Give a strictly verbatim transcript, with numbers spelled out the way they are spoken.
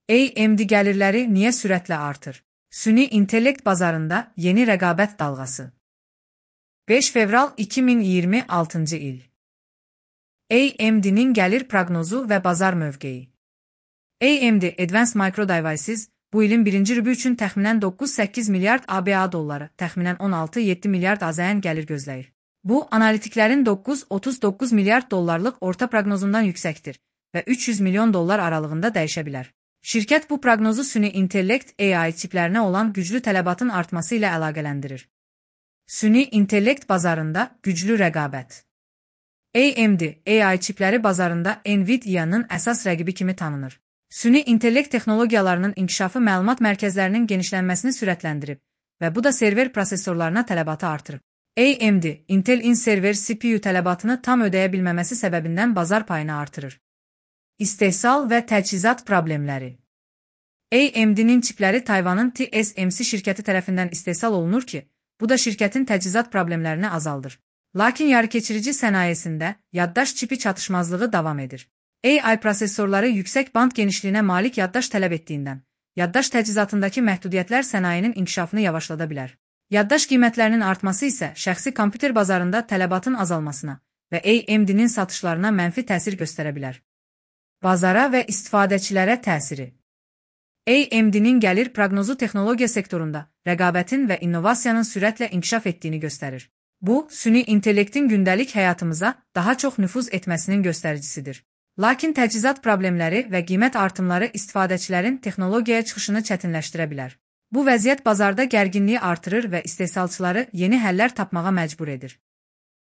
A M D gəlirləri niyə sürətlə artır? Süni intellekt bazarında yeni rəqabət dalğası. beş fevral iki min iyirmi altıncı il. A M D'nin gəlir proqnozu və bazar mövqeyi. A M D Advanced Micro Devices bu ilin birinci rübü üçün təxminən doqquz səkkiz milyard A B A dolları, təxminən on altı yeddi milyard A Z N gəlir gözləyir. Bu, analitiklərin doqquz otuz doqquz milyard dollarlıq orta proqnozundan yüksəkdir və üç yüz milyon dollar aralığında dəyişə bilər. Şirkət bu proqnozu süni intellekt A I çiplərinə olan güclü tələbatın artması ilə əlaqələndirir. Süni intellekt bazarında güclü rəqabət. A M D A I çipləri bazarında Nvidia-nın əsas rəqibi kimi tanınır. Süni intellekt texnologiyalarının inkişafı məlumat mərkəzlərinin genişlənməsini sürətləndirib və bu da server prosesorlarına tələbatı artırıb. A M D, Intel-in server C P U tələbatını tam ödəyə bilməməsi səbəbindən bazar payını artırır. İstehsal və təchizat problemləri. A M D'nin çipləri Tayvanın T S M C şirkəti tərəfindən istehsal olunur ki, bu da şirkətin təchizat problemlərini azaldır. Lakin yarıkeçirici sənayesində yaddaş çipi çatışmazlığı davam edir. A I prosesorları yüksək band genişliyinə malik yaddaş tələb etdiyindən, yaddaş təchizatındakı məhdudiyyətlər sənayenin inkişafını yavaşlada bilər. Yaddaş qiymətlərinin artması isə şəxsi kompüter bazarında tələbatın azalmasına və A M D'nin satışlarına mənfi təsir göstərə bilər. Bazara və istifadəçilərə təsiri. A M D'nin gəlir proqnozu texnologiya sektorunda rəqabətin və innovasiyanın sürətlə inkişaf etdiyini göstərir. Bu, süni intellektin gündəlik həyatımıza daha çox nüfuz etməsinin göstəricisidir. Lakin təchizat problemləri və qiymət artımları istifadəçilərin texnologiyaya çıxışını çətinləşdirə bilər. Bu vəziyyət bazarda gərginliyi artırır və istehsalçıları yeni həllər tapmağa məcbur edir.